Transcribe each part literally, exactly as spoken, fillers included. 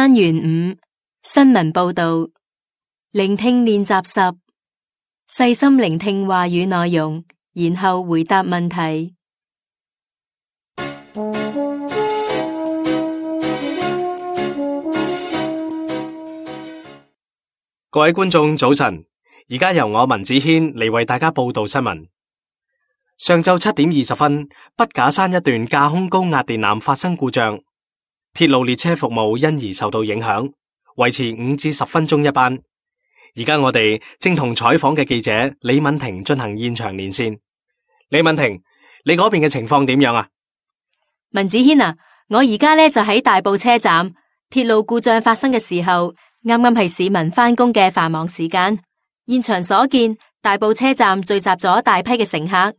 單元五新聞報道，聆聽練習十，細心聆聽話語內容，然後回答問題。各位觀眾早晨，而家由我文子軒嚟為大家報道新聞。上晝七點二十分，筆架山一段架空高壓電纜發生故障，鐵路列車服務因而受到影響，維持五至十分鐘一班。而家我哋正同採訪嘅記者李敏婷進行現場連線。李敏婷，你嗰邊嘅情況點樣啊？文子軒啊，我而家咧就喺大埔車站，鐵路故障發生嘅時候，啱啱係市民返工嘅繁忙時間。現場所見，大埔車站聚集咗大批嘅乘客，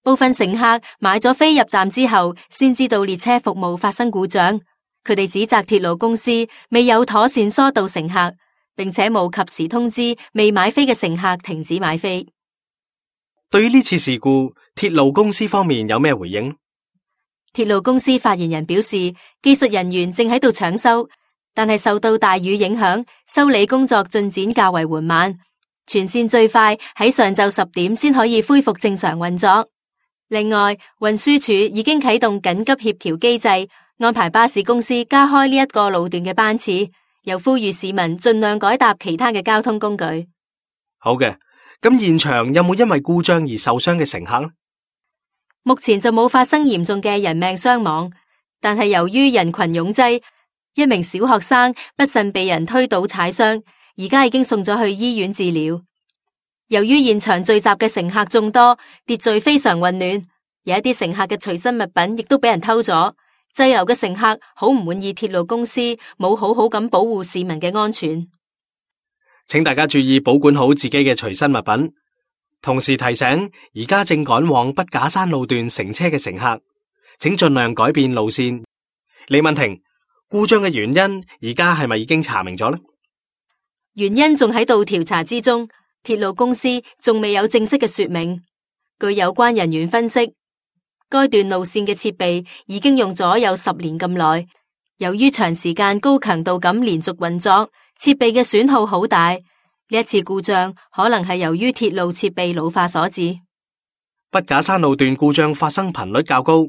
部分乘客買咗飛入站之後，先知道列車服務發生故障。佢哋指責鐵路公司未有妥善疏導乘客，並且冇及時通知未買飛嘅乘客停止買飛。對於呢次事故，鐵路公司方面有咩回應？鐵路公司發言人表示，技術人員正喺度搶修，但係受到大雨影響，修理工作進展較為緩慢。全線最快喺上晝十點先可以恢復正常運作。另外，運輸署已經啟動緊急協調機制，安排巴士公司加開呢一個路段嘅班次，又呼籲市民盡量改搭其他嘅交通工具。好嘅，咁現場有冇因為故障而受傷嘅乘客呢？目前就冇發生嚴重嘅人命傷亡，但係由於人群擁擠，一名小學生不慎被人推倒踩傷，而家已經送咗去醫院治療。由於現場聚集嘅乘客眾多，秩序非常混亂，有一啲乘客嘅隨身物品亦都俾人偷咗。滯留嘅乘客好唔滿意鐵路公司冇好好咁保護市民嘅安全，請大家注意保管好自己嘅隨身物品。同時提醒而家正趕往筆架山路段乘車嘅乘客，請盡量改變路線。李敏婷，故障嘅原因而家係咪已經查明咗呢？原因仲喺度調查之中，鐵路公司仲未有正式嘅說明。據有關人員分析，該段路線嘅設備已經用咗有十年咁耐，由於長時間高強度咁連續運作，設備嘅損耗好大。呢一次故障可能係由於鐵路設備老化所致。筆架山路段故障發生頻率較高，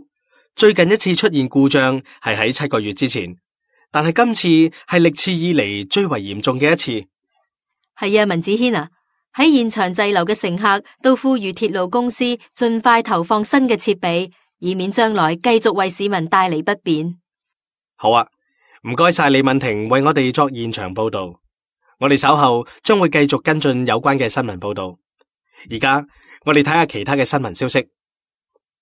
最近一次出現故障係喺七個月之前，但係今次係歷次以嚟最為嚴重嘅一次。係啊，文子軒啊，喺現場滯留嘅乘客都呼籲鐵路公司盡快投放新嘅設備，以免將來繼續為市民帶嚟不便。好啊，唔該晒李敏婷為我哋作現場報道。我哋稍後將會繼續跟進有關嘅新聞報道。而家我哋睇下其他嘅新聞消息。